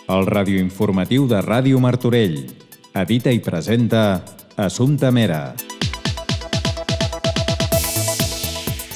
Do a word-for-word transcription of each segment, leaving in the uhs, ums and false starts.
El radioinformatiu de Ràdio Martorell. Edita i presenta Assumpta Mera.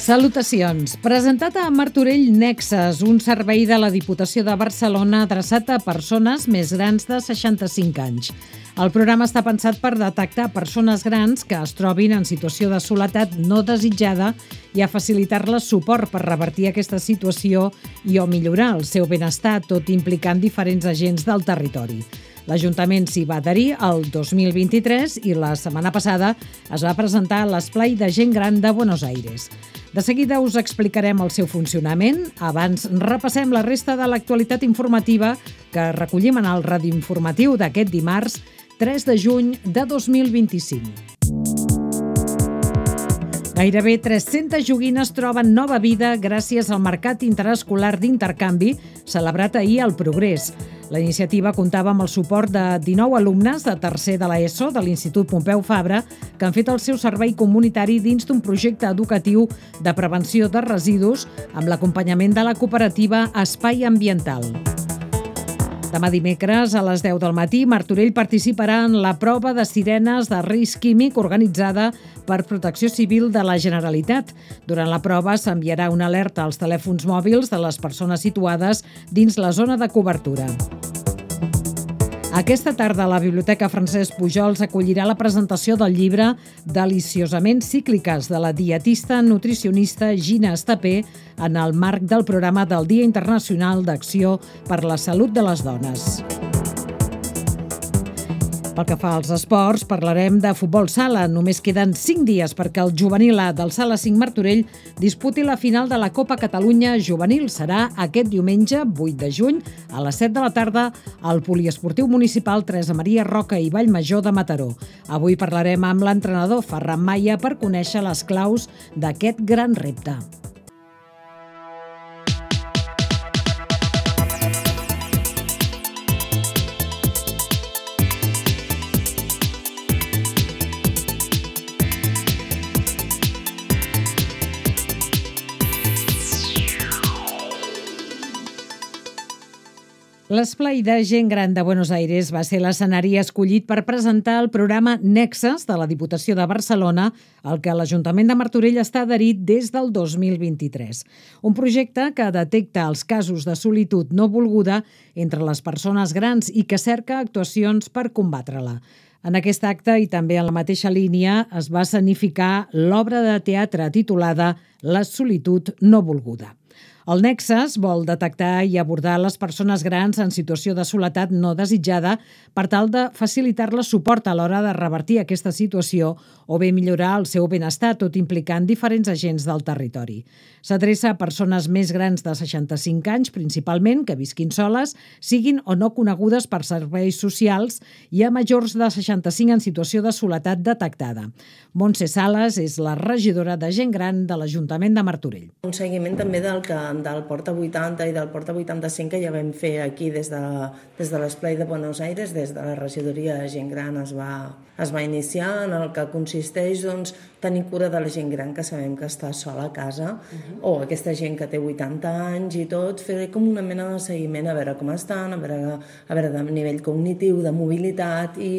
Salutacions. Presentat a Martorell Nexes, un servei de la Diputació de Barcelona adreçat a persones més grans de seixanta-cinc anys. El programa està pensat per detectar persones grans que es trobin en situació de soledat no desitjada i a facilitar-les suport per revertir aquesta situació i o millorar el seu benestar, tot implicant diferents agents del territori. L'Ajuntament s'hi va adherir el dos mil vint-i-tres i la setmana passada es va presentar a l'Esplai de Gent Gran de Buenos Aires. De seguida us explicarem el seu funcionament. Abans repassem la resta de l'actualitat informativa que recollim en el radioinformatiu d'aquest dimarts, tres de juny de dos mil vint-i-cinc. Gairebé tres-centes joguines troben nova vida gràcies al Mercat Interescolar d'Intercanvi celebrat ahir al Progrés. La iniciativa comptava amb el suport de dinou alumnes de tercer de l'ESO de l'Institut Pompeu Fabra que han fet el seu servei comunitari dins d'un projecte educatiu de prevenció de residus amb l'acompanyament de la cooperativa Espai Ambiental. Demà dimecres, a les deu del matí, Martorell participarà en la prova de sirenes de risc químic organitzada per Protecció Civil de la Generalitat. Durant la prova s'enviarà una alerta als telèfons mòbils de les persones situades dins la zona de cobertura. Aquesta tarda, la Biblioteca Francesc Pujols acollirà la presentació del llibre Deliciosament cícliques de la dietista nutricionista Gina Estapé en el marc del programa del Dia Internacional d'Acció per la Salut de les Dones. Pel que fa als esports, parlarem de futbol sala. Només queden cinc dies perquè el juvenil A del Sala cinc Martorell disputi la final de la Copa Catalunya Juvenil. Serà aquest diumenge, vuit de juny, a les set de la tarda, al Poliesportiu Municipal Teresa Maria Roca i Vallmajor de Mataró. Avui parlarem amb l'entrenador Ferran Maia per conèixer les claus d'aquest gran repte. L'Esplai de Gent Gran de Buenos Aires va ser l'escenari escollit per presentar el programa Nexes de la Diputació de Barcelona, al que l'Ajuntament de Martorell està adherit des del dos mil vint-i-tres. Un projecte que detecta els casos de solitud no volguda entre les persones grans i que cerca actuacions per combatre-la. En aquest acte, i també en la mateixa línia, es va escenificar l'obra de teatre titulada La solitud no volguda. El Nexes vol detectar i abordar les persones grans en situació de soledat no desitjada per tal de facilitar-les suport a l'hora de revertir aquesta situació o bé millorar el seu benestar, tot implicant diferents agents del territori. S'adreça a persones més grans de seixanta-cinc anys, principalment, que visquin soles, siguin o no conegudes per serveis socials, i a majors de seixanta-cinc en situació de soledat detectada. Montse Sales és la regidora de Gent Gran de l'Ajuntament de Martorell. Un seguiment també del que del Porta vuitanta i del Porta vuitanta-cinc que ja vam fer aquí des de, des de l'Esplai de Buenos Aires, des de la regidoria de Gent Gran es va, es va iniciar, en el que consisteix doncs, tenir cura de la gent gran que sabem que està sola a casa, uh-huh. o aquesta gent que té vuitanta anys i tot, fer com una mena de seguiment a veure com estan, a veure, a veure de nivell cognitiu, de mobilitat i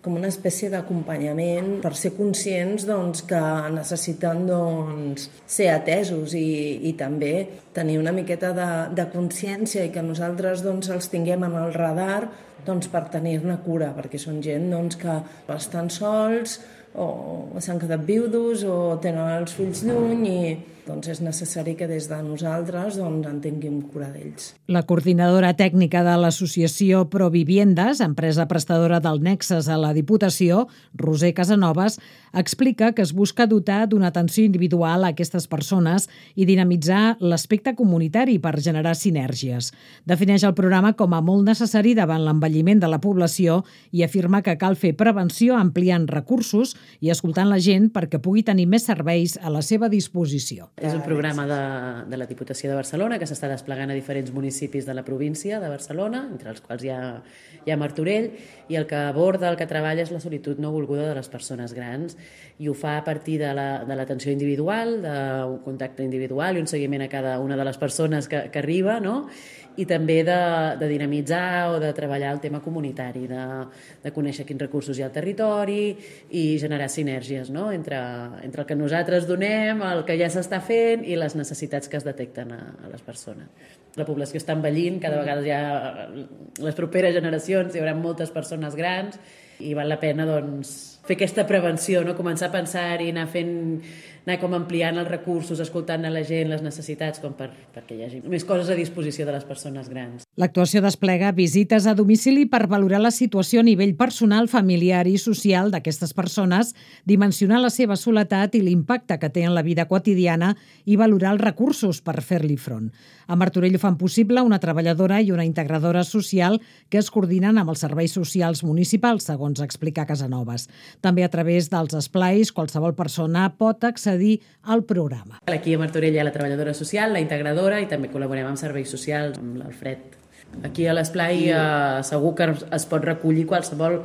com una espècie d'acompanyament per ser conscients doncs, que necessiten doncs, ser atesos i, i també tenir una miqueta de, de consciència i que nosaltres doncs, els tinguem en el radar doncs, per tenir-ne cura, perquè són gent doncs, que estan sols o s'han quedat viudos o tenen els fills lluny i doncs és necessari que des de nosaltres doncs, en tinguem cura d'ells. La coordinadora tècnica de l'associació Proviviendes, empresa prestadora del Nexes a la Diputació, Roser Casanovas, explica que es busca dotar d'una atenció individual a aquestes persones i dinamitzar l'aspecte comunitari per generar sinergies. Defineix el programa com a molt necessari davant l'envelliment de la població i afirma que cal fer prevenció ampliant recursos i escoltant la gent perquè pugui tenir més serveis a la seva disposició. És un programa de, de la Diputació de Barcelona que s'està desplegant a diferents municipis de la província de Barcelona, entre els quals hi ha, hi ha Martorell, i el que aborda, el que treballa és la solitud no volguda de les persones grans, i ho fa a partir de la, de l'atenció individual, d'un contacte individual i un seguiment a cada una de les persones que, que arriba, no? I també de, de dinamitzar o de treballar el tema comunitari, de, de conèixer quins recursos hi ha al territori i generar sinergies, no? entre, entre el que nosaltres donem, el que ja s'està fent i les necessitats que es detecten a, a les persones. La població està envellint, cada vegada hi ha les properes generacions, hi haurà moltes persones grans i val la pena doncs, fer aquesta prevenció, no? Començar a pensar i anar fent anar com ampliant els recursos, escoltant a la gent, les necessitats, com per, perquè hi hagi més coses a disposició de les persones grans. L'actuació desplega visites a domicili per valorar la situació a nivell personal, familiar i social d'aquestes persones, dimensionar la seva soledat i l'impacte que té en la vida quotidiana i valorar els recursos per fer-li front. A Martorell ho fan possible una treballadora i una integradora social que es coordinen amb els serveis socials municipals, segons explica Casanovas. També a través dels esplais, qualsevol persona pot accedir al programa. Aquí a Martorell hi ha la treballadora social, la integradora, i també col·laborem amb serveis socials, amb l'Alfred. Aquí a l'esplai eh, segur que es pot recollir qualsevol,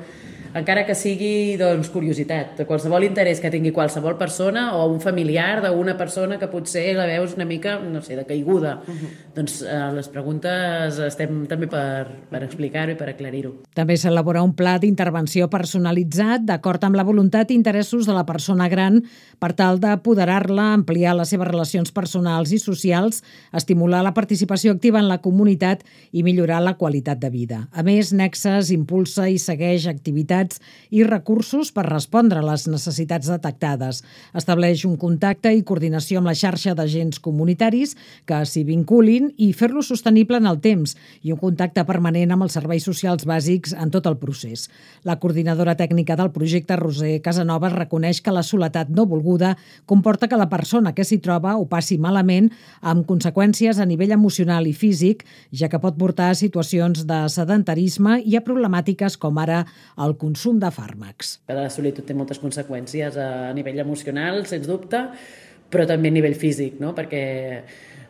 encara que sigui doncs, curiositat, qualsevol interès que tingui qualsevol persona o un familiar d'una persona que potser la veus una mica, no sé, de caiguda. Uh-huh. Doncs eh, les preguntes estem també per, per explicar-ho i per aclarir-ho. També s'elabora un pla d'intervenció personalitzat d'acord amb la voluntat i interessos de la persona gran per tal d'apoderar-la, ampliar les seves relacions personals i socials, estimular la participació activa en la comunitat i millorar la qualitat de vida. A més, Nexes impulsa i segueix activitats i recursos per respondre a les necessitats detectades. Estableix un contacte i coordinació amb la xarxa d'agents comunitaris que s'hi vinculin i fer-lo sostenible en el temps i un contacte permanent amb els serveis socials bàsics en tot el procés. La coordinadora tècnica del projecte, Roser Casanovas, reconeix que la soledat no volguda comporta que la persona que s'hi troba ho passi malament amb conseqüències a nivell emocional i físic, ja que pot portar a situacions de sedentarisme i a problemàtiques com ara el consum de fàrmacs. La solitud té moltes conseqüències a nivell emocional, sens dubte, però també a nivell físic, no? Perquè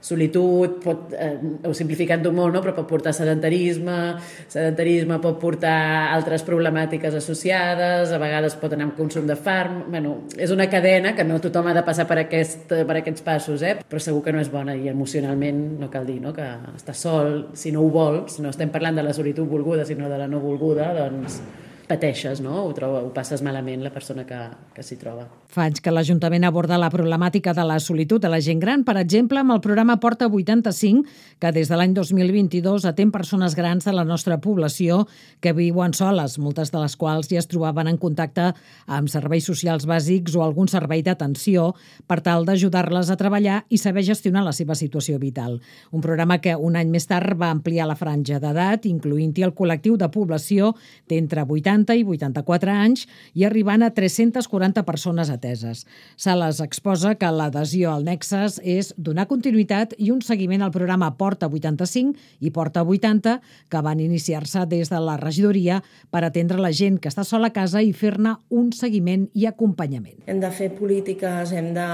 solitud, pot, eh, ho simplificant-ho molt, no? Però pot portar sedentarisme, sedentarisme pot portar altres problemàtiques associades, a vegades pot anar amb consum de fàrmacs. Bueno, és una cadena que no tothom ha de passar per, aquest, per aquests passos, eh? Però segur que no és bona i emocionalment no cal dir, no? Que estar sol, si no ho vols, no estem parlant de la solitud volguda, sinó de la no volguda, doncs pateixes, no? Ho, troba, ho passes malament la persona que, que s'hi troba. Fa anys que l'Ajuntament aborda la problemàtica de la solitud de la gent gran, per exemple, amb el programa Porta vuitanta-cinc, que des de l'any dos mil vint-i-dos atén persones grans de la nostra població que viuen soles, moltes de les quals ja es trobaven en contacte amb serveis socials bàsics o algun servei d'atenció per tal d'ajudar-les a treballar i saber gestionar la seva situació vital. Un programa que un any més tard va ampliar la franja d'edat, incloent-hi el col·lectiu de població d'entre vuitanta i vuitanta-quatre anys i arribant a tres-centes quaranta persones ateses. Sales exposa que l'adhesió al Nexes és donar continuïtat i un seguiment al programa Porta vuitanta-cinc i Porta vuitanta, que van iniciar-se des de la regidoria per atendre la gent que està sola a casa i fer-ne un seguiment i acompanyament. Hem de fer polítiques, hem de,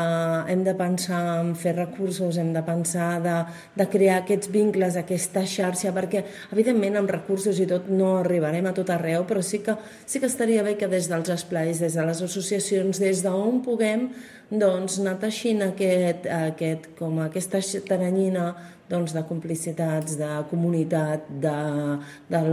hem de pensar en fer recursos, hem de pensar de, de crear aquests vincles, aquesta xarxa, perquè evidentment amb recursos i tot no arribarem a tot arreu, però sí que sí que estaria bé que des dels esplais, des de les associacions, des d'on puguem, doncs, anar teixint aquest, aquest, com aquesta taranyina doncs, de complicitats, de comunitat, de, del,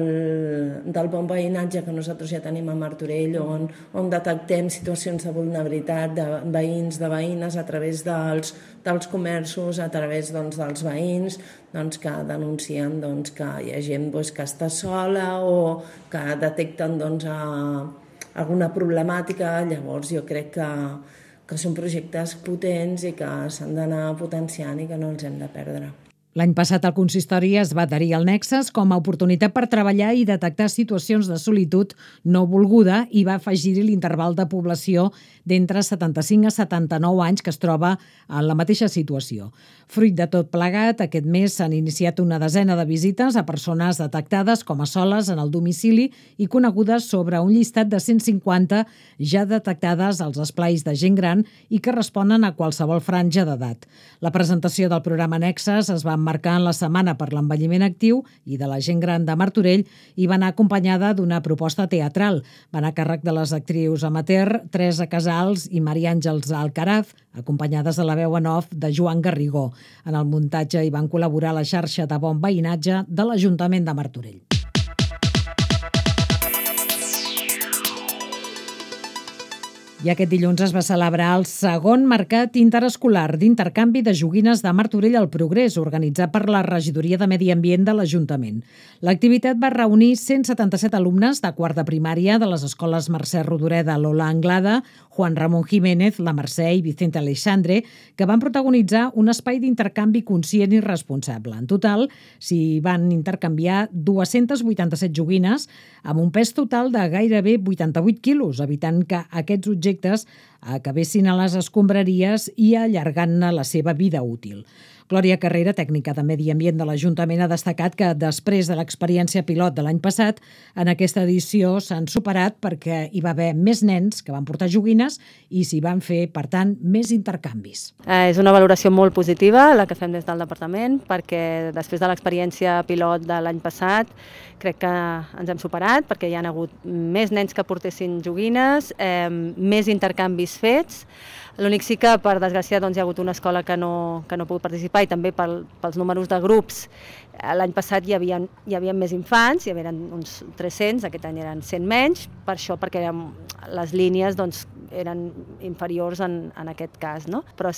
del bon veïnatge que nosaltres ja tenim a Martorell, on, on detectem situacions de vulnerabilitat de veïns, de veïnes, a través dels, dels comerços, a través doncs, dels veïns, doncs, que denuncien doncs, que hi ha gent doncs, que està sola o que detecten doncs, a, alguna problemàtica. Llavors jo crec que, que són projectes potents i que s'han d'anar potenciant i que no els hem de perdre. L'any passat el consistori es va adherir al Nexes com a oportunitat per treballar i detectar situacions de solitud no volguda i va afegir-hi l'interval de població d'entre setanta-cinc a setanta-nou anys que es troba en la mateixa situació. Fruit de tot plegat, aquest mes s'han iniciat una desena de visites a persones detectades com a soles en el domicili i conegudes sobre un llistat de cent cinquanta ja detectades als esplais de gent gran i que responen a qualsevol franja d'edat. La presentació del programa Nexes es va emmarcar en la Setmana per l'Envelliment Actiu i de la Gent Gran de Martorell i va anar acompanyada d'una proposta teatral. Va anar a càrrec de les actrius amateur Teresa Casals i Maria Àngels Alcaraz, acompanyades de la veu en off de Joan Garrigó. En el muntatge hi van col·laborar la xarxa de bon veïnatge de l'Ajuntament de Martorell. I aquest dilluns es va celebrar el segon Mercat Interescolar d'Intercanvi de Joguines de Martorell al Progrés, organitzat per la Regidoria de Medi Ambient de l'Ajuntament. L'activitat va reunir cent setanta-set alumnes de quart de primària de les escoles Mercè Rodoreda, Lola Anglada, Juan Ramón Jiménez, la Mercè i Vicente Aleixandre, que van protagonitzar un espai d'intercanvi conscient i responsable. En total, s'hi van intercanviar dues-centes vuitanta-set joguines amb un pes total de gairebé vuitanta-vuit quilos, evitant que aquests objectes acabessin a les escombraries i allargant-ne la seva vida útil. Glòria Carrera, tècnica de Medi Ambient de l'Ajuntament, ha destacat que després de l'experiència pilot de l'any passat, en aquesta edició s'han superat perquè hi va haver més nens que van portar joguines i s'hi van fer, per tant, més intercanvis. Eh, és una valoració molt positiva la que fem des del departament, perquè després de l'experiència pilot de l'any passat crec que ens hem superat, perquè hi ha hagut més nens que portessin joguines, eh, més intercanvis fets. L'únic sí que, per desgràcia, doncs, hi ha hagut una escola que no, que no ha pogut participar i també pel, pels números de grups. L'any passat hi havia, hi havia més infants, hi havia uns tres-cents, aquest any eren cent menys, per això perquè les línies doncs, eren inferiors en, en aquest cas, no? Però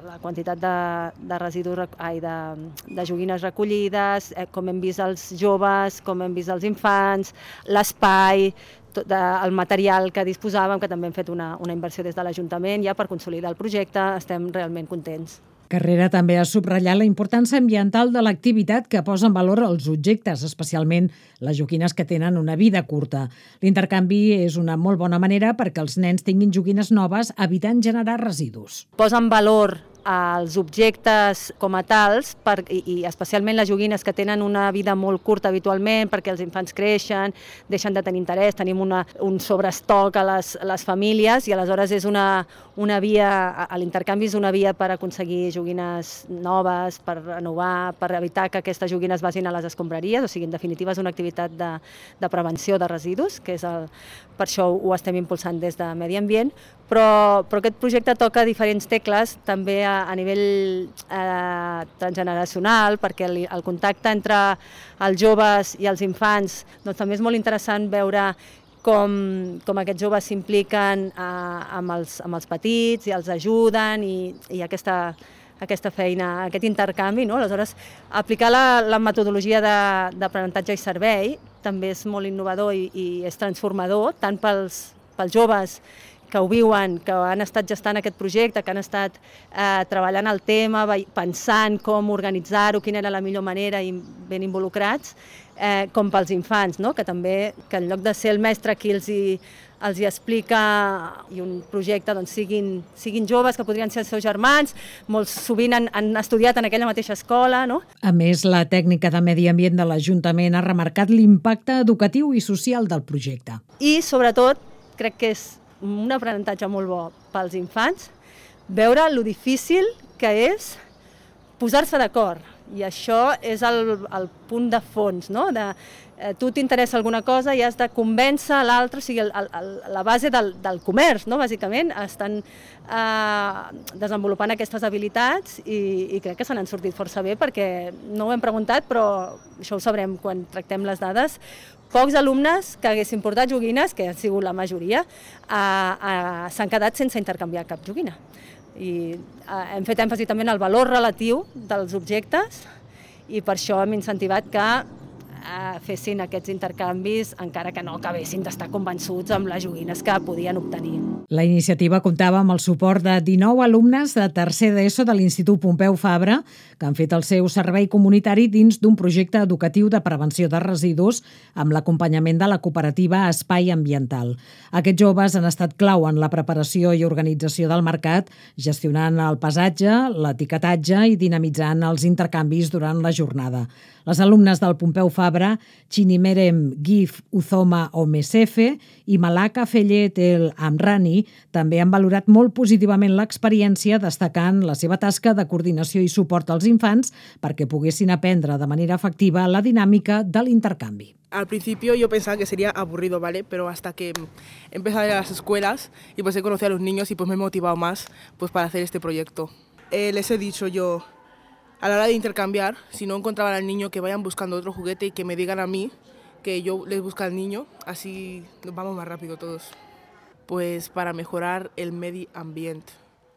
la quantitat de, de residus, ai, de, de joguines recollides, eh, com hem vist els joves, com hem vist els infants, l'espai, el material que disposàvem, que també hem fet una, una inversió des de l'Ajuntament ja per consolidar el projecte, estem realment contents. Carrera també ha subratllat la importància ambiental de l'activitat que posa en valor els objectes, especialment les joguines que tenen una vida curta. L'intercanvi és una molt bona manera perquè els nens tinguin joguines noves, evitant generar residus. Posa en valor els objectes com a tals, per, i, i especialment les joguines que tenen una vida molt curta habitualment, perquè els infants creixen, deixen de tenir interès, tenim una, un sobreestoc a les, a les famílies i aleshores és una, una via, l'intercanvi és una via per aconseguir joguines noves, per renovar, per evitar que aquestes joguines vagin a les escombraries, o sigui, en definitiva és una activitat de, de prevenció de residus, que és el, per això ho estem impulsant des de Medi Ambient, però, però aquest projecte toca diferents tecles, també a, a nivell eh, transgeneracional, perquè el, el contacte entre els joves i els infants doncs, també és molt interessant veure com, com aquests joves s'impliquen eh, amb, els, amb els petits i els ajuden i, i aquesta, aquesta feina, aquest intercanvi, no? Aleshores, aplicar la, la metodologia d'aprenentatge i servei també és molt innovador i, i és transformador, tant pels, pels joves que ho viuen, que han estat gestant aquest projecte, que han estat eh, treballant el tema, pensant com organitzar-ho, quina era la millor manera i ben involucrats, eh, com pels infants, no? Que també, que en lloc de ser el mestre qui els hi, els hi explica i un projecte doncs, siguin, siguin joves que podrien ser els seus germans, molts sovint han, han estudiat en aquella mateixa escola. No? A més, la tècnica de Medi Ambient de l'Ajuntament ha remarcat l'impacte educatiu i social del projecte. I, sobretot, crec que és un aprenentatge molt bo pels infants, veure lo difícil que és posar-se d'acord. I això és el, el punt de fons, no? De, eh, tu t'interessa alguna cosa i has de convèncer l'altre, o sigui, el, el, la base del, del comerç, no? Bàsicament, estan eh, desenvolupant aquestes habilitats i, i crec que se n'han sortit força bé perquè no ho hem preguntat, però això ho sabrem quan tractem les dades. Pocs alumnes que haguessin portat joguines, que han sigut la majoria, eh, eh, s'han quedat sense intercanviar cap joguina. I eh, hem fet èmfasi també en el valor relatiu dels objectes i per això hem incentivat que eh, fessin aquests intercanvis encara que no acabessin d'estar convençuts amb les joguines que podien obtenir. La iniciativa comptava amb el suport de dinou alumnes de tercer d'ESO de l'Institut Pompeu Fabra, que han fet el seu servei comunitari dins d'un projecte educatiu de prevenció de residus amb l'acompanyament de la cooperativa Espai Ambiental. Aquests joves han estat clau en la preparació i organització del mercat, gestionant el pesatge, l'etiquetatge i dinamitzant els intercanvis durant la jornada. Les alumnes del Pompeu Fabra, Chinimerem Gif Uzoma Omesefe i Malaka Fellet El Amrani, també han valorat molt positivament l'experiència, destacant la seva tasca de coordinació i suport als infants perquè poguessin aprendre de manera efectiva la dinàmica de l'intercanvi. Al principio yo pensaba que sería aburrido, ¿vale? Pero hasta que he empezado a ir a las escuelas y pues he conocido a los niños y pues me he motivado más pues para hacer este proyecto. Eh, les he dicho yo, a la hora de intercambiar, si no encontraban al niño, que vayan buscando otro juguete y que me digan a mí que yo les busco al niño, así nos vamos más rápido todos. Pues para mejorar el medio ambiente,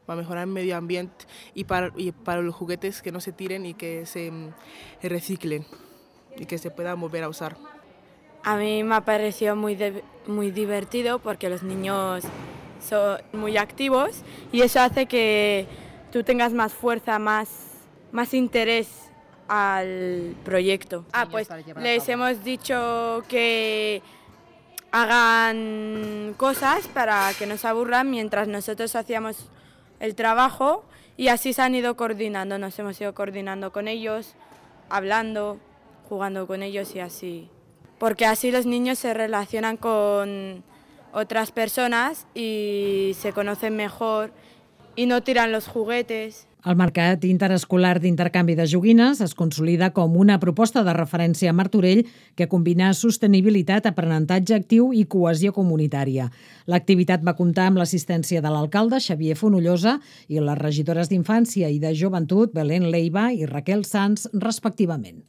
para mejorar el medio ambiente y para, y para los juguetes que no se tiren y que se reciclen y que se puedan volver a usar. A mí me ha parecido muy, de, muy divertido porque los niños son muy activos y eso hace que tú tengas más fuerza, más, más interés al proyecto. Ah, pues les hemos dicho que hagan cosas para que no se aburran mientras nosotros hacíamos el trabajo y así se han ido coordinando, nos hemos ido coordinando con ellos, hablando, jugando con ellos y así. Porque así los niños se relacionan con otras personas y se conocen mejor y no tiran los juguetes. El Mercat Interescolar d'Intercanvi de Joguines es consolida com una proposta de referència a Martorell que combina sostenibilitat, aprenentatge actiu i cohesió comunitària. L'activitat va comptar amb l'assistència de l'alcalde Xavier Fonollosa i les regidores d'Infància i de Joventut Belén Leiva i Raquel Sanz, respectivament.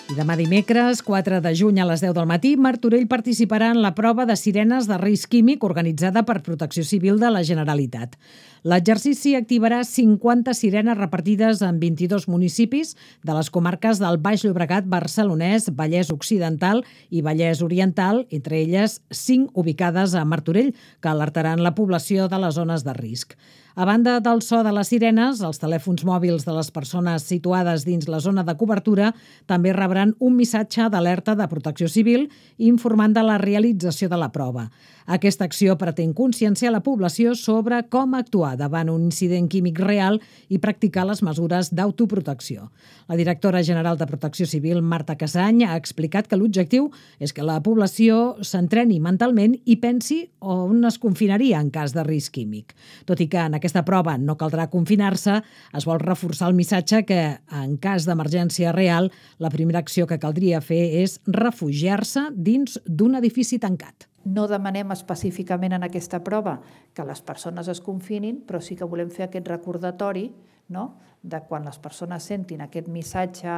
I demà dimecres, quatre de juny a les deu del matí, Martorell participarà en la prova de sirenes de risc químic organitzada per Protecció Civil de la Generalitat. L'exercici activarà cinquanta sirenes repartides en vint-i-dos municipis de les comarques del Baix Llobregat, Barcelonès, Vallès Occidental i Vallès Oriental, entre elles cinc ubicades a Martorell, que alertaran la població de les zones de risc. A banda del so de les sirenes, els telèfons mòbils de les persones situades dins la zona de cobertura també rebran un missatge d'alerta de Protecció Civil informant de la realització de la prova. Aquesta acció pretén conscienciar la població sobre com actuar davant un incident químic real i practicar les mesures d'autoprotecció. La directora general de Protecció Civil, Marta Casany, ha explicat que l'objectiu és que la població s'entreni mentalment i pensi on es confinaria en cas de risc químic. Tot i que en aquesta prova no caldrà confinar-se, es vol reforçar el missatge que, en cas d'emergència real, la primera acció que caldria fer és refugiar-se dins d'un edifici tancat. No demanem específicament en aquesta prova que les persones es confinin, però sí que volem fer aquest recordatori, no?, de quan les persones sentin aquest missatge,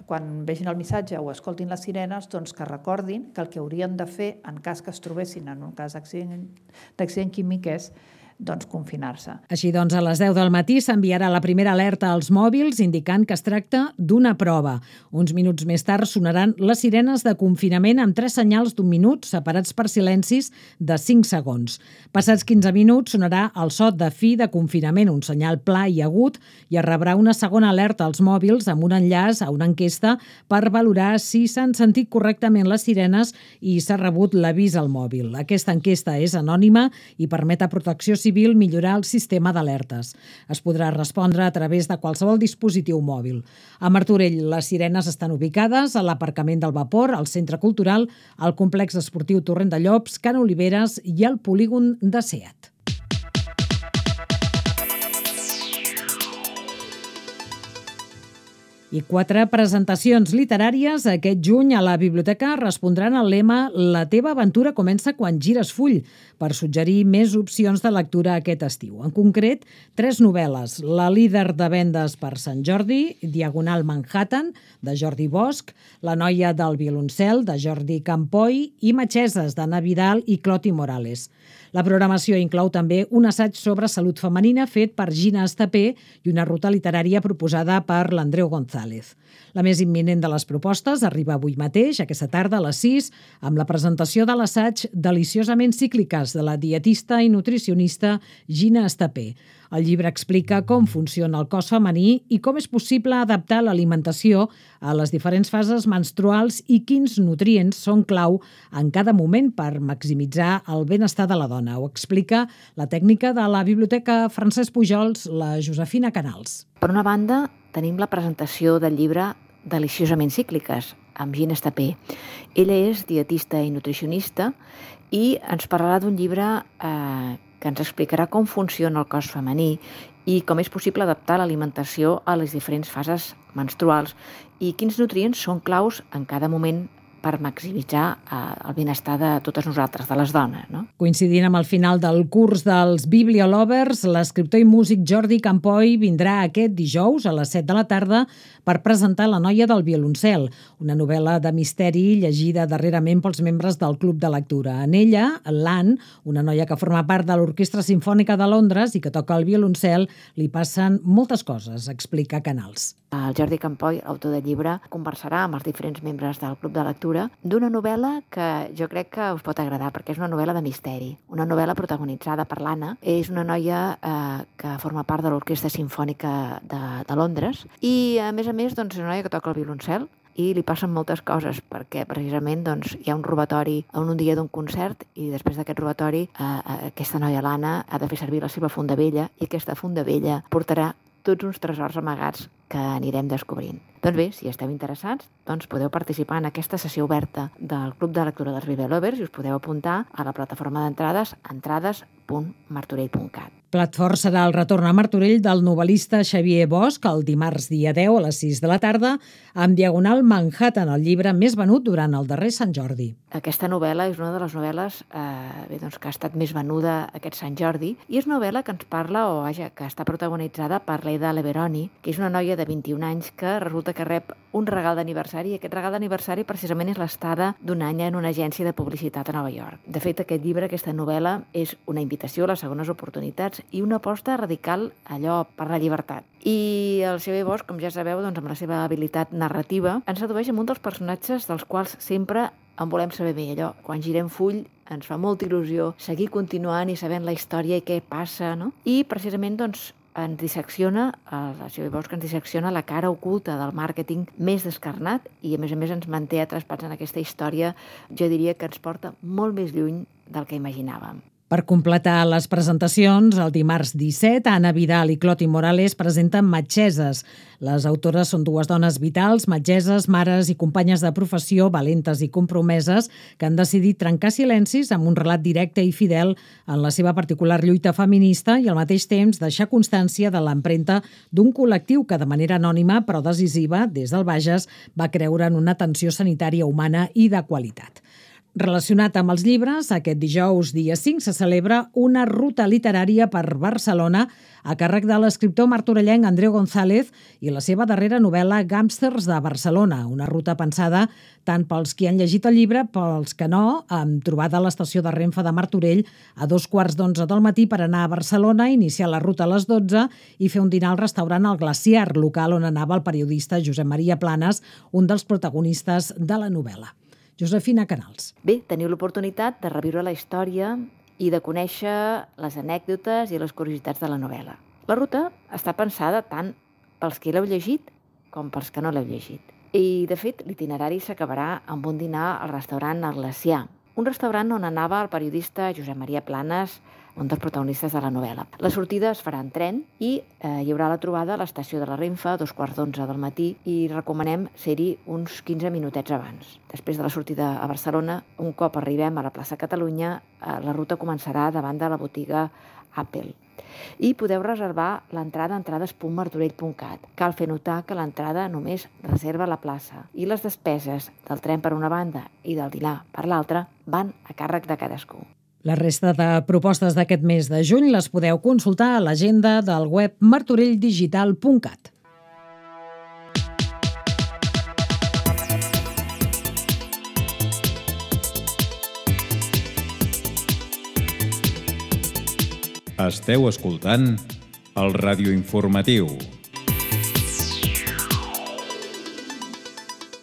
quan vegin el missatge o escoltin les sirenes, doncs que recordin que el que haurien de fer en cas que es trobessin en un cas d'accident químic és doncs confinar-se. Així doncs, a les deu del matí s'enviarà la primera alerta als mòbils indicant que es tracta d'una prova. Uns minuts més tard sonaran les sirenes de confinament amb tres senyals d'un minut separats per silencis de cinc segons. Passats quinze minuts sonarà el so de fi de confinament, un senyal pla i agut, i es rebrà una segona alerta als mòbils amb un enllaç a una enquesta per valorar si s'han sentit correctament les sirenes i s'ha rebut l'avís al mòbil. Aquesta enquesta és anònima i permet a Protecció Civil millorar el sistema d'alertes. Es podrà respondre a través de qualsevol dispositiu mòbil. A Martorell, les sirenes estan ubicades a l'aparcament del Vapor, al Centre Cultural, al Complex Esportiu Torrent de Llops, Can Oliveres i al polígon de SEAT. I quatre presentacions literàries aquest juny a la biblioteca respondran al lema «La teva aventura comença quan gires full», per suggerir més opcions de lectura aquest estiu. En concret, tres novel·les: La líder de vendes per Sant Jordi, Diagonal Manhattan, de Jordi Bosch, La noia del violoncel, de Jordi Campoy, i Metgeses, d'Anna Vidal i Cloti Morales. La programació inclou també un assaig sobre salut femenina fet per Gina Estapé i una ruta literària proposada per l'Andreu González. La més imminent de les propostes arriba avui mateix, aquesta tarda a les sis, amb la presentació de l'assaig Deliciosament cícliques de la dietista i nutricionista Gina Estapé. El llibre explica com funciona el cos femení i com és possible adaptar l'alimentació a les diferents fases menstruals i quins nutrients són clau en cada moment per maximitzar el benestar de la dona. Ho explica la tècnica de la Biblioteca Francesc Pujols, la Josefina Canals. Per una banda, tenim la presentació del llibre Deliciosament cícliques, amb Gina Estapé. Ella és dietista i nutricionista i ens parlarà d'un llibre eh, que ens explicarà com funciona el cos femení i com és possible adaptar l'alimentació a les diferents fases menstruals i quins nutrients són claus en cada moment per maximitzar el benestar de totes nosaltres, de les dones. No? Coincidint amb el final del curs dels Bibliolovers, l'escriptor i músic Jordi Campoy vindrà aquest dijous a les set de la tarda per presentar La noia del violoncel, una novel·la de misteri llegida darrerament pels membres del Club de Lectura. En ella, l'Anne, una noia que forma part de l'Orquestra Simfònica de Londres i que toca el violoncel, li passen moltes coses, explica Canals. El Jordi Campoy, autor del llibre, conversarà amb els diferents membres del Club de Lectura d'una novel·la que jo crec que us pot agradar, perquè és una novel·la de misteri, una novel·la protagonitzada per l'Anna. És una noia eh, que forma part de l'Orquestra Simfònica de, de Londres i, a més a més, doncs, és una noia que toca el violoncel i li passen moltes coses, perquè precisament doncs, hi ha un robatori en un dia d'un concert i després d'aquest robatori eh, aquesta noia, l'Anna, ha de fer servir la seva funda vella i aquesta funda vella portarà tots uns tresors amagats que anirem descobrint. Doncs bé, si esteu interessats, doncs podeu participar en aquesta sessió oberta del Club de Lectura dels Bibliolovers i us podeu apuntar a la plataforma d'entrades entrades punt martorell punt cat. Plat fort serà el retorn a Martorell del novel·lista Xavier Bosch el dimarts dia deu a les sis de la tarda amb Diagonal Manhattan, el llibre més venut durant el darrer Sant Jordi. Aquesta novel·la és una de les novel·les eh, bé, doncs, que ha estat més venuda aquest Sant Jordi i és una novel·la que ens parla, o vaja, que està protagonitzada per l'Aida Leveroni, que és una noia de vint-i-un anys que resulta que rep un regal d'aniversari i aquest regal d'aniversari precisament és l'estada d'un any en una agència de publicitat a Nova York. De fet, aquest llibre, aquesta novel·la, és una invitació a les segones oportunitats i una aposta radical allò per la llibertat. I el Xavier Bosch, com ja sabeu, doncs, amb la seva habilitat narrativa, ens sedueix amb un dels personatges dels quals sempre en volem saber bé. Allò, quan girem full, ens fa molta il·lusió seguir continuant i sabent la història i què passa, no? I precisament, doncs, ens dissecciona, el Xavier Bosch ens dissecciona la cara oculta del màrqueting més descarnat i, a més a més, ens manté atrapats en aquesta història, jo diria que ens porta molt més lluny del que imaginàvem. Per completar les presentacions, el dimarts disset, Anna Vidal i Cloti Morales presenten Metgeses. Les autores són dues dones vitals, metgeses, mares i companyes de professió, valentes i compromeses, que han decidit trencar silencis amb un relat directe i fidel en la seva particular lluita feminista i al mateix temps deixar constància de l'empremta d'un col·lectiu que de manera anònima però decisiva, des del Bages, va creure en una atenció sanitària humana i de qualitat. Relacionat amb els llibres, aquest dijous, dia cinc, se celebra una ruta literària per Barcelona a càrrec de l'escriptor martorellenc Andreu González i la seva darrera novel·la Gàngsters de Barcelona, una ruta pensada tant pels qui han llegit el llibre, pels que no, amb trobada a l'estació de Renfe de Martorell a dos quarts d'onze del matí per anar a Barcelona, iniciar la ruta a les dotze i fer un dinar al restaurant El Glaciar, local on anava el periodista Josep Maria Planes, un dels protagonistes de la novel·la. Josefina Canals. Bé, teniu l'oportunitat de reviure la història i de conèixer les anècdotes i les curiositats de la novel·la. La ruta està pensada tant pels que l'heu llegit com pels que no l'heu llegit. I, de fet, l'itinerari s'acabarà amb un dinar al restaurant El Glaciar, un restaurant on anava el periodista Josep Maria Planes, un dels protagonistes de la novel·la. La sortida es farà en tren i eh, hi haurà la trobada a l'estació de la Renfe a dos quarts d'onze del matí i recomanem ser-hi uns quinze minutets abans. Després de la sortida a Barcelona, un cop arribem a la plaça Catalunya, eh, la ruta començarà davant de la botiga Apple. I podeu reservar l'entrada a entrades punt martorell punt cat. Cal fer notar que l'entrada només reserva la plaça i les despeses del tren per una banda i del dinar per l'altra van a càrrec de cadascú. La resta de propostes d'aquest mes de juny les podeu consultar a l'agenda del web martorell digital punt cat. Esteu escoltant el radioinformatiu.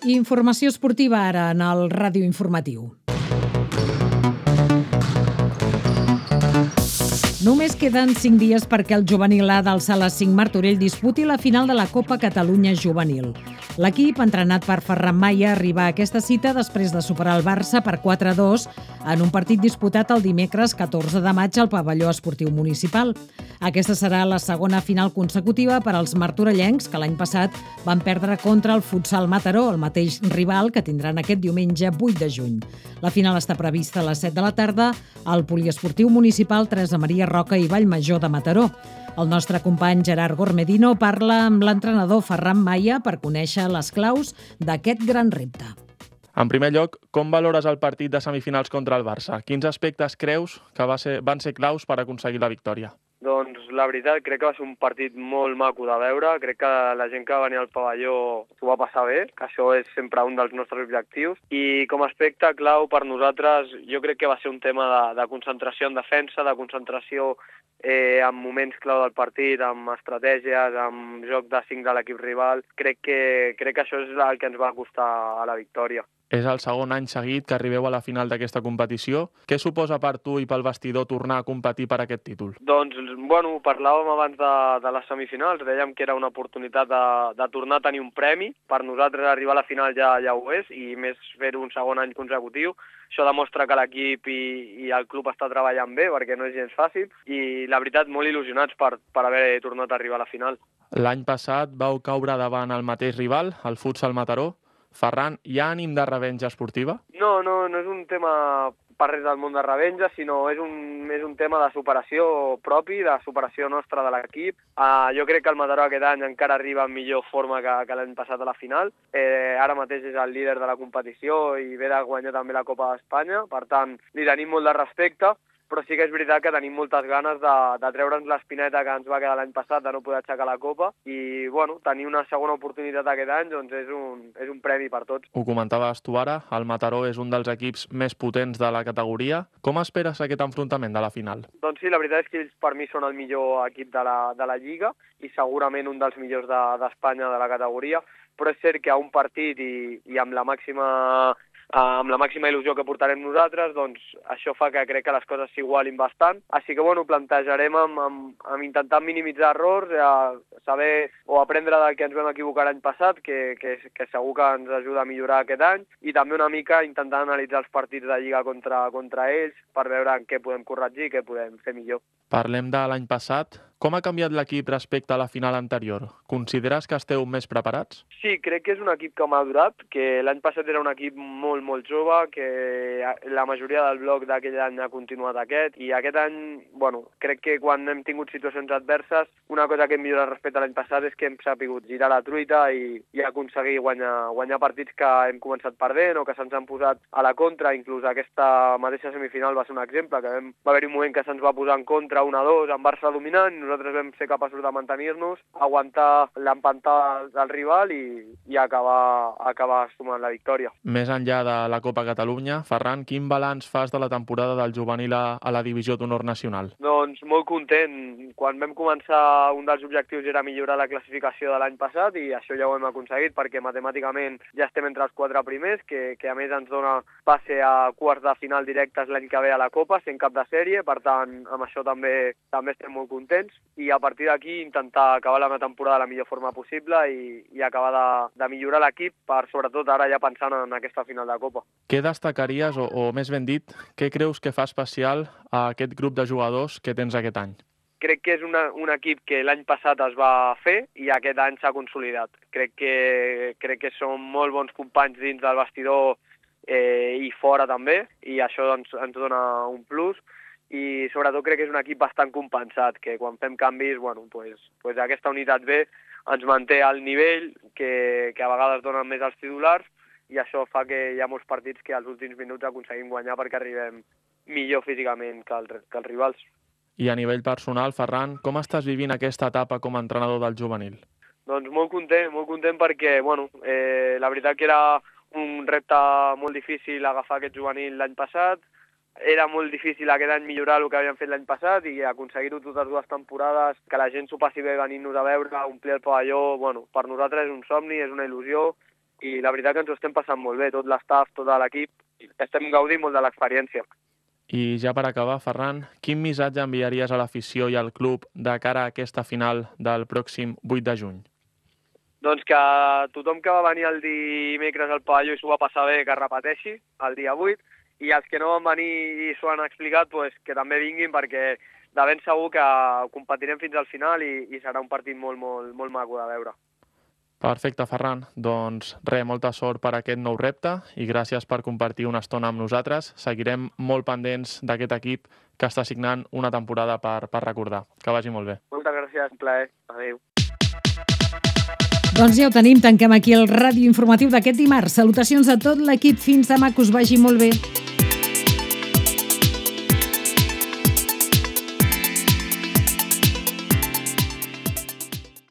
Informació esportiva ara en el radioinformatiu. Només queden cinc dies perquè el juvenil A del Sala cinc Martorell disputi la final de la Copa Catalunya Juvenil. L'equip, entrenat per Ferran Maia, arriba a aquesta cita després de superar el Barça per quatre a dos en un partit disputat el dimecres catorze de maig al pavelló esportiu municipal. Aquesta serà la segona final consecutiva per als martorellencs, que l'any passat van perdre contra el Futsal Mataró, el mateix rival que tindran aquest diumenge vuit de juny. La final està prevista a les set de la tarda al poliesportiu municipal Teresa Maria Roca i Vallmajor de Mataró. El nostre company Gerard Gormedino parla amb l'entrenador Ferran Maia per conèixer les claus d'aquest gran repte. En primer lloc, com valores el partit de semifinals contra el Barça? Quins aspectes creus que va ser, van ser claus per aconseguir la victòria? Doncs la veritat, crec que va ser un partit molt maco de veure. Crec que la gent que venia al pavelló s'ho va passar bé, que això és sempre un dels nostres objectius. I com a aspecte clau per nosaltres, jo crec que va ser un tema de, de concentració en defensa, de concentració eh, en moments clau del partit, amb estratègies, amb joc de cinc de l'equip rival. Crec que, crec que això és el que ens va costar a la victòria. És el segon any seguit que arribeu a la final d'aquesta competició. Què suposa per tu i pel vestidor tornar a competir per aquest títol? Doncs, bueno, parlàvem abans de, de les semifinals, dèiem que era una oportunitat de, de tornar a tenir un premi. Per nosaltres arribar a la final ja, ja ho és, i més fer-ho un segon any consecutiu. Això demostra que l'equip i, i el club està treballant bé, perquè no és gens fàcil, i la veritat, molt il·lusionats per, per haver tornat a arribar a la final. L'any passat vau caure davant el mateix rival, el Futsal Mataró. Ferran, hi ha ànim de revenja esportiva? No, no, no és un tema per res del món de revenja, sinó és un, és un tema de superació propi, de superació nostra de l'equip. Uh, jo crec que el Mataró aquest any encara arriba en millor forma que, que l'any passat a la final. Eh, ara mateix és el líder de la competició i ve de guanyar també la Copa d'Espanya, per tant, li tenim molt de respecte, però sí que és veritat que tenim moltes ganes de, de treure'ns l'espineta que ens va quedar l'any passat de no poder aixecar la Copa i, bueno, tenir una segona oportunitat aquest any doncs és un, és un premi per tots. Ho comentaves tu ara, el Mataró és un dels equips més potents de la categoria. Com esperes aquest enfrontament de la final? Doncs sí, la veritat és que ells per mi són el millor equip de la, de la Lliga i segurament un dels millors d'Espanya de, de la categoria, però és cert que a un partit i, i amb la màxima amb la màxima il·lusió que portarem nosaltres, doncs això fa que crec que les coses s'igualin bastant. Així que, bueno, plantejarem amb, amb, amb intentar minimitzar errors, eh, saber o aprendre del que ens vam equivocar l'any passat, que, que, que segur que ens ajuda a millorar aquest any, i també una mica intentar analitzar els partits de Lliga contra, contra ells per veure en què podem corregir i què podem fer millor. Parlem de l'any passat. Com ha canviat l'equip respecte a la final anterior? Consideres que esteu més preparats? Sí, crec que és un equip que ha madurat, que l'any passat era un equip molt, molt jove, que la majoria del bloc d'aquell any ha continuat aquest, i aquest any, bueno, crec que quan hem tingut situacions adverses, una cosa que hem millorat respecte a l'any passat és que hem sapigut girar la truita i, i aconseguir guanyar, guanyar partits que hem començat perdent o que se'ns han posat a la contra. Inclús aquesta mateixa semifinal va ser un exemple, que vam, va haver un moment que se'ns va posar en contra un a dos amb Barça dominant, i nosaltres vam ser capaços de mantenir-nos, aguantar l'empantar del rival i, i acabar, acabar sumant la victòria. Més enllà de la Copa Catalunya, Ferran, quin balanç fas de la temporada del juvenil a, a la Divisió d'Honor Nacional? Doncs molt content. Quan vam començar, un dels objectius era millorar la classificació de l'any passat, i això ja ho hem aconseguit perquè matemàticament ja estem entre els quatre primers, que, que a més ens dona passe a quarts de final directes l'any que ve a la Copa, sent cap de sèrie. Per tant, amb això també, també estem molt contents. I a partir d'aquí intentar acabar la temporada de la millor forma possible i, i acabar de, de millorar l'equip per, sobretot, ara ja pensant en aquesta final de Copa. Què destacaries, o, o més ben dit, què creus que fa especial a aquest grup de jugadors que tens aquest any? Crec que és una, un equip que l'any passat es va fer i aquest any s'ha consolidat. Crec que, crec que són molt bons companys dins del vestidor eh, i fora també, i això doncs, ens dona un plus. I sobretot crec que és un equip bastant compensat, que quan fem canvis, bueno, pues, pues aquesta unitat B ens manté al nivell que, que a vegades donen més als titulars, i això fa que hi ha molts partits que als últims minuts aconseguim guanyar perquè arribem millor físicament que, el, que els rivals. I a nivell personal, Ferran, com estàs vivint aquesta etapa com a entrenador del juvenil? Doncs molt content, molt content perquè, bueno, eh, la veritat que era un repte molt difícil agafar aquest juvenil l'any passat. era molt difícil aquest any millorar el que havíem fet l'any passat i aconseguir-ho totes dues temporades, que la gent s'ho passi bé venint-nos a veure, omplir el pavelló, bueno, per nosaltres és un somni, és una il·lusió i la veritat que ens ho estem passant molt bé, tot l'estaf, tot l'equip, estem gaudint molt de l'experiència. I ja per acabar, Ferran, quin missatge enviaries a l'afició i al club de cara a aquesta final del pròxim vuit de juny? Doncs que tothom que va venir el dimecres al pavelló i s'ho va passar bé, que repeteixi el dia vuit, i els que no van venir i s'ho han explicat, pues, que també vinguin perquè de ben segur que competirem fins al final i, i serà un partit molt, molt, molt maco de veure. Perfecte, Ferran. Doncs res, molta sort per aquest nou repte i gràcies per compartir una estona amb nosaltres. Seguirem molt pendents d'aquest equip que està signant una temporada per, per recordar. Que vagi molt bé. Moltes gràcies, un plaer. Adéu. Doncs ja ho tenim, tanquem aquí el ràdio informatiu d'aquest dimarts. Salutacions a tot l'equip, fins demà, que us vagi molt bé.